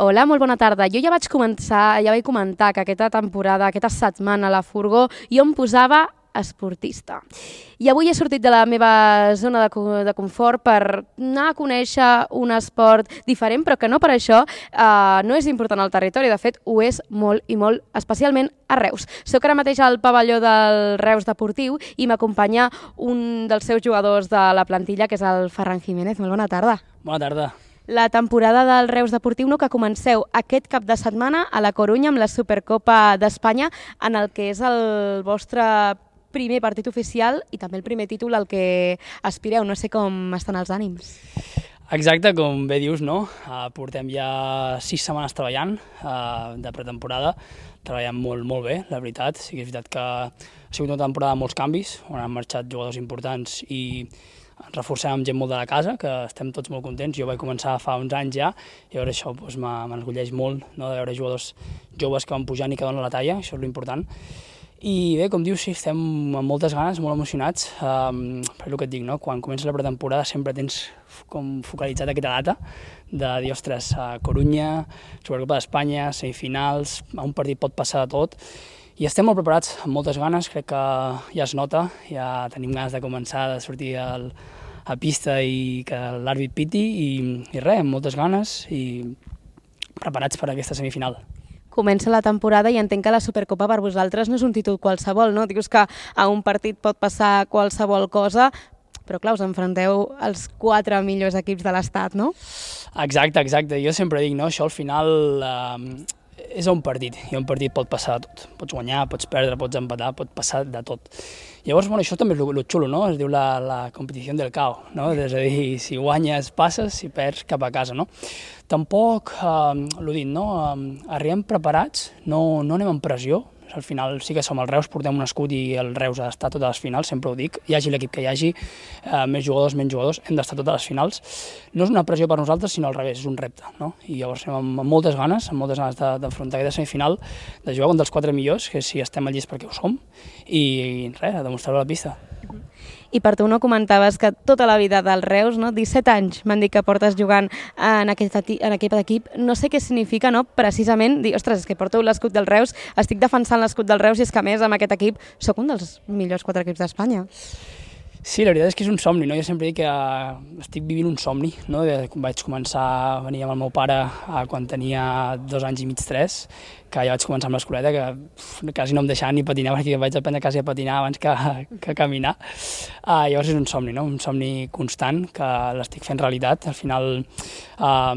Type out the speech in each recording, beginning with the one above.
Hola, molt bona tarda. Jo ja vaig comentar que aquesta temporada, aquesta setmana a la Furgó, jo em posava esportista. I avui he sortit de la meva zona de confort per anar a conèixer un esport diferent, però que no per això no és important al territori. De fet, ho és molt i molt, especialment a Reus. Soc ara mateix al pavelló del Reus Deportiu i m'acompanya un dels seus jugadors de la plantilla, que és el Ferran Jiménez. Molt bona tarda. Bona tarda. La temporada del Reus Deportiu, que comenceu aquest cap de setmana a la Corunya amb la Supercopa d'Espanya, en el que és el vostre primer partit oficial i també el primer títol al que aspireu. No sé com estan els ànims. Exacte, com bé dius, no? Portem ja 6 setmanes treballant de pretemporada, treballant molt bé, la veritat. Sí que és veritat que ha sigut una temporada de molts canvis, on han marxat jugadors importants i ens reforcem amb gent molt de la casa, que estem tots molt contents. Jo vaig començar fa uns anys ja, i llavors això m'enorgulleix molt, no, de veure jugadors joves que van pujant i que donen la talla, això és l'important. I bé, com dius, sí, estem amb moltes ganes, molt emocionats, per el que et dic, no? Quan comença la pretemporada sempre tens com focalitzat aquesta data de dir, ostres, Corunya, Supercopa d'Espanya, semifinals, a un partit pot passar de tot, i estem molt preparats, amb moltes ganes, crec que ja es nota, ja tenim ganes de començar, de sortir a pista i que l'àrbit piti, i res, amb moltes ganes i preparats per a aquesta semifinal. Comença la temporada i entenc que la Supercopa per vosaltres no és un títol qualsevol, no? Dius que a un partit pot passar qualsevol cosa, però clar, us enfronteu als 4 millors equips de l'Estat, no? Exacte. Jo sempre dic, no? Això al final és un partit, i un partit pot passar de tot. Pots guanyar, pots perdre, pots empatar, pot passar de tot. Llavors, això també és el xulo, no? Es diu la competició del caos, no? És a dir, si guanyes passes, si perds cap a casa, no? Tampoc, l'ho dit, no? Arribem preparats, no anem amb pressió. Al final sí que som el Reus, portem un escut i el Reus ha d'estar a totes les finals, sempre ho dic, hi hagi l'equip que hi hagi, més jugadors, menys jugadors, hem d'estar a totes les finals. No és una pressió per nosaltres, sinó al revés, és un repte, no? I llavors anem amb moltes ganes d'afrontar aquesta semifinal, de jugar contra els 4 millors, que si estem al llist perquè ho som, i res, a demostrar-ho a la pista. I per tu no comentaves que tota la vida del Reus, no? 17 anys m'han dit que portes jugant en aquest equip. No sé què significa, no? Precisament dir, ostres, és que porto l'escut del Reus, estic defensant l'escut del Reus i és que a més amb aquest equip sóc un dels millors 4 equips d'Espanya. Sí, la veritat és que és un somni, no? Jo sempre dic que estic vivint un somni, no? Vaig començar a venir amb el meu pare quan tenia 2 anys i mig, 3, que ja vaig començar amb l'escoleta, que quasi no em deixava ni patinar, perquè vaig aprendre quasi a patinar abans que caminar. Llavors és un somni, no? Un somni constant, que l'estic fent realitat. Al final,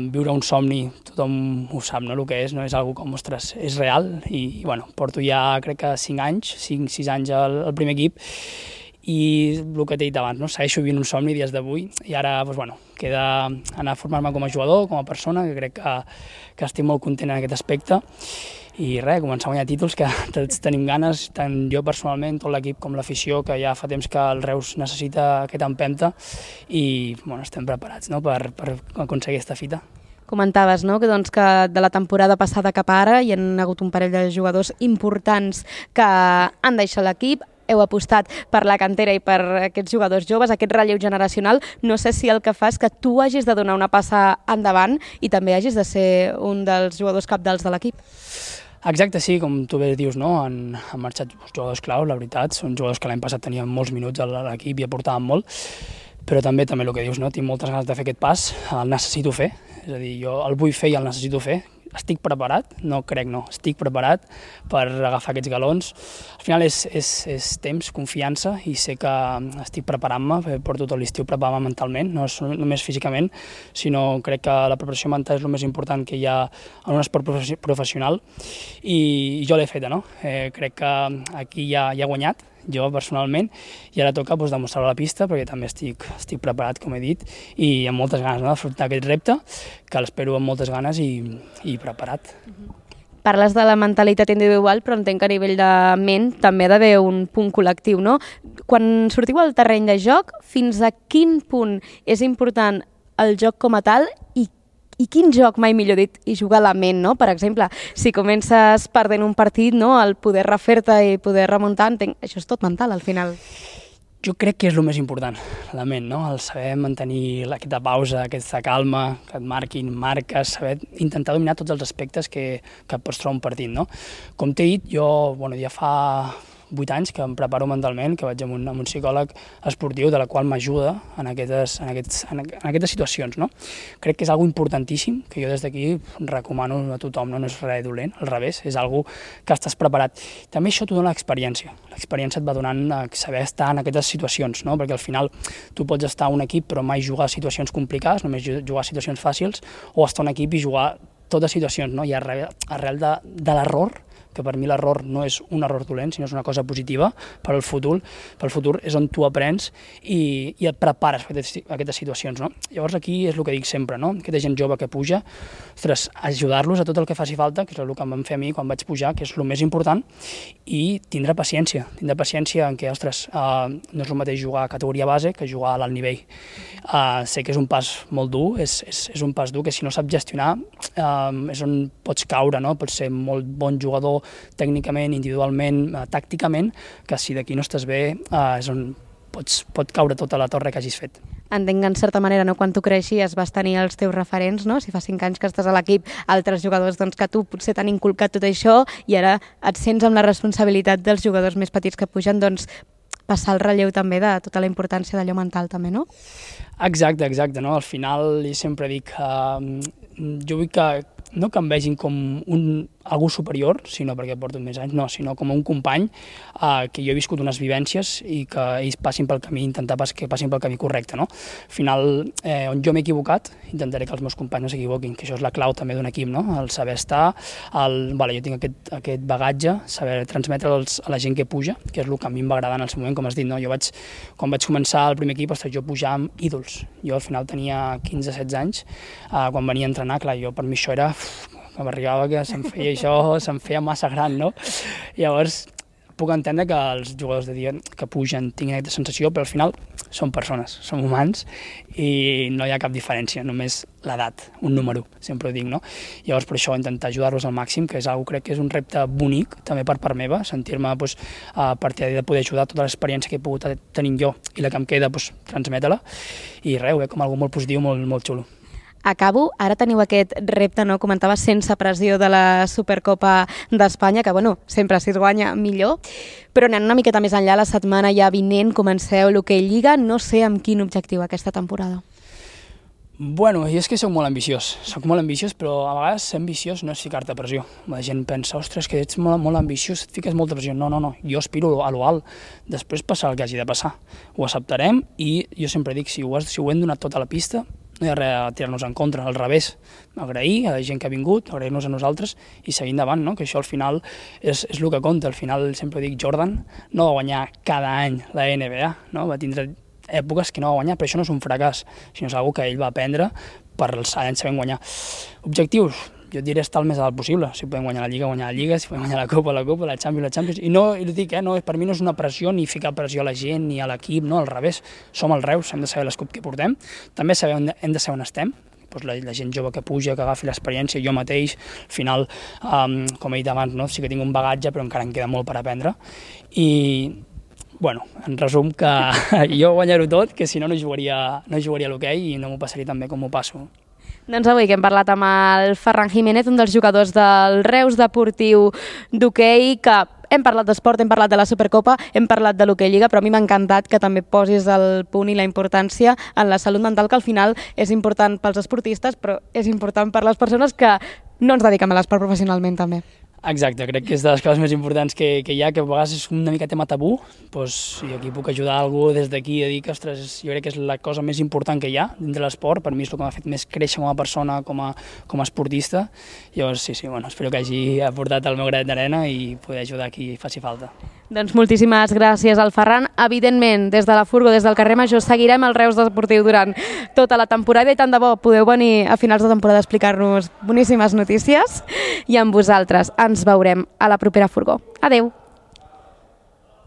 viure un somni, tothom ho sap, no? El que és, no? És algo com, ostres, és real, i bueno, porto ja, crec que 5-6 anys al primer equip, i el que t'he dit abans, no? Segueixo vivint un somni dies d'avui i ara queda anar a formar-me com a jugador, com a persona, que crec que estic molt content en aquest aspecte, i res, començar a guanyar títols, que tots tenim ganes, tant jo personalment, tot l'equip com l'afició, que ja fa temps que el Reus necessita aquesta empenta, i estem preparats, no? per aconseguir aquesta fita. Comentaves, no? que de la temporada passada cap ara hi ha hagut un parell de jugadors importants que han deixat l'equip, heu apostat per la cantera i per aquests jugadors joves, aquest relleu generacional. No sé si el que fa és que tu hagis de donar una passa endavant i també hagis de ser un dels jugadors cabdals de l'equip. Exacte, sí, com tu bé dius, no? Han marxat jugadors clau, la veritat. Són jugadors que l'any passat tenien molts minuts a l'equip i aportaven molt, però també el que dius, no? Tinc moltes ganes de fer aquest pas, el necessito fer, és a dir, jo el vull fer i el necessito fer. Estic preparat, estic preparat per agafar aquests galons. Al final és temps, confiança, i sé que estic preparant-me, porto tot l'estiu preparant-me mentalment, no només físicament, sinó crec que la preparació mental és el més important que hi ha en un esport professional, i jo l'he feta, no? Crec que aquí ja he guanyat, jo personalment, i ara toca demostrar-ho a la pista, perquè també estic preparat, com he dit, i amb moltes ganes d'afrontar aquest repte, que l'espero amb moltes ganes i preparat. Parles de la mentalitat individual, però entenc que a nivell de ment també ha d'haver un punt col·lectiu, no? Quan sortiu al terreny de joc, fins a quin punt és important el joc com a tal i quin joc, mai millor dit, i jugar a la ment, no? Per exemple, si comences perdent un partit, no? El poder refer-te i poder remuntar, entenc, això és tot mental al final. Jo crec que és el més important, la ment, no? El saber mantenir aquesta pausa, aquesta calma, que et marquin marques, saber intentar dominar tots els aspectes que et pots trobar un partit, no? Com t'he dit, jo ja fa 8 anys que em preparo mentalment, que vaig amb un psicòleg esportiu de la qual m'ajuda en aquestes situacions, no? Crec que és algo importantíssim, que jo des d'aquí recomano a tothom, no és res dolent, al revés, és algo que estàs preparat. També això t'ho dona l'experiència. L'experiència et va donant saber estar en aquestes situacions, no? Perquè al final tu pots estar a un equip però mai jugar a situacions complicades, només jugar a situacions fàcils, o estar a un equip i jugar totes situacions, no? I arrel de l'error, que per mi l'error no és un error dolent, sinó és una cosa positiva per al futur és on tu aprens i et prepares per aquestes situacions, no? Llavors aquí és el que dic sempre, no? Aquesta gent jove que puja, ostres, ajudar-los a tot el que faci falta, que és el que em van fer a mi quan vaig pujar, que és el més important, i tindre paciència en què, ostres, no és el mateix jugar a categoria base que jugar a l'alt nivell. Sé que és un pas molt dur, és un pas dur que si no saps gestionar és on pots caure, no? Pots ser molt bon jugador tècnicament, individualment, tàcticament, que si d'aquí no estàs bé és on pot caure tota la torre que hagis fet. Entenc que en certa manera, no, quan tu creixies vas tenir els teus referents, no? Si fa 5 anys que estàs a l'equip, altres jugadors que tu potser t'han inculcat tot això i ara et sents amb la responsabilitat dels jugadors més petits que pugen, passar el relleu també de tota la importància d'allò mental també, no? Exacte, no? Al final jo sempre dic jo vull que no que em vegin com algú superior, sinó perquè porto més anys, no, sinó com un company que jo he viscut unes vivències i que ells passin pel camí, intentar que passin pel camí correcte, no? Al final, on jo m'he equivocat, intentaré que els meus companys no s'equivoquin, que això és la clau també d'un equip, no? El saber estar, jo tinc aquest bagatge, saber transmetre'l a la gent que puja, que és el que a mi em va agradar en el seu moment, com has dit, no? Quan vaig començar el primer equip, jo pujava amb ídols. Jo al final tenia 15-16 anys, quan venia a entrenar, clar, per mi això era que m'arribava que se'm feia massa gran, no? Llavors, puc entendre que els jugadors de dia que pugen tinguin aquesta sensació, però al final són persones, som humans i no hi ha cap diferència, només l'edat, un número, sempre ho dic, no? Llavors, per això, intentar ajudar-los al màxim, que és una cosa, crec que és un repte bonic, també per part meva, sentir-me partidari de poder ajudar tota l'experiència que he pogut tenir jo i la que em queda, transmetre-la, i res, ho veig com algo molt positiu, molt xulo. Acabo, ara teniu aquest repte, no? Comentava, sense pressió de la Supercopa d'Espanya, que sempre si es guanya millor, però anant una miqueta més enllà, la setmana ja vinent comenceu l'Hoquei Lliga, no sé amb quin objectiu aquesta temporada. Bueno, jo és que soc molt ambiciós, però a vegades ser ambiciós no és ficar-te pressió. La gent pensa, ostres, que ets molt ambiciós, et fiques molta pressió. No, jo aspiro a lo alt, després passar el que hagi de passar. Ho acceptarem i jo sempre dic, si ho hem donat tota la pista, no hi ha res a tirar-nos en contra, al revés, agrair a la gent que ha vingut, agrair-nos a nosaltres i seguir endavant, no? Que això al final és el que compta. Al final sempre dic, Jordan no va guanyar cada any la NBA, no? Va tindre èpoques que no va guanyar, però això no és un fracàs, sinó és una cosa que ell va aprendre per els anys sabent guanyar. Objectius, jo et diré estar el més alt possible. Si podem guanyar la Lliga, si podem guanyar la Copa, la Champions. I no, dic, per mi no és una pressió ni ficar pressió a la gent ni a l'equip, no, al revés. Som els Reus, hem de saber l'escup que portem, també hem de saber on estem, la gent jove que puja, que agafi l'experiència, jo mateix, al final, com he dit abans, no, sí que tinc un bagatge, però encara em queda molt per aprendre. I, en resum, que jo guanyar-ho tot, que si no jugaria a l'hoquei i no m'ho passaria tan bé com m'ho passo. Doncs avui que hem parlat amb el Ferran Jiménez, un dels jugadors del Reus Deportiu d'hoquei, que hem parlat d'esport, hem parlat de la Supercopa, hem parlat de l'Hoquei Lliga, però a mi m'ha encantat que també posis el punt i la importància en la salut mental, que al final és important pels esportistes, però és important per les persones que no ens dediquem a l'esport professionalment també. Exacte, crec que és de les coses més importants que hi ha, que a vegades és una mica tema tabú, i aquí puc ajudar algú des d'aquí a dir que, ostres, jo crec que és la cosa més important que hi ha dins de l'esport, per mi és el que m'ha fet més créixer com a persona, com a esportista. Llavors, sí, espero que hagi aportat el meu granet d'arena i poder ajudar a qui faci falta. Doncs moltíssimes gràcies al Ferran. Evidentment, des de la Furgo, des del carrer Major, seguirem el Reus Deportiu durant tota la temporada i tant de bo podeu venir a finals de temporada a explicar-nos boníssimes notícies i amb vosaltres ens veurem a la propera Furgo. Adeu!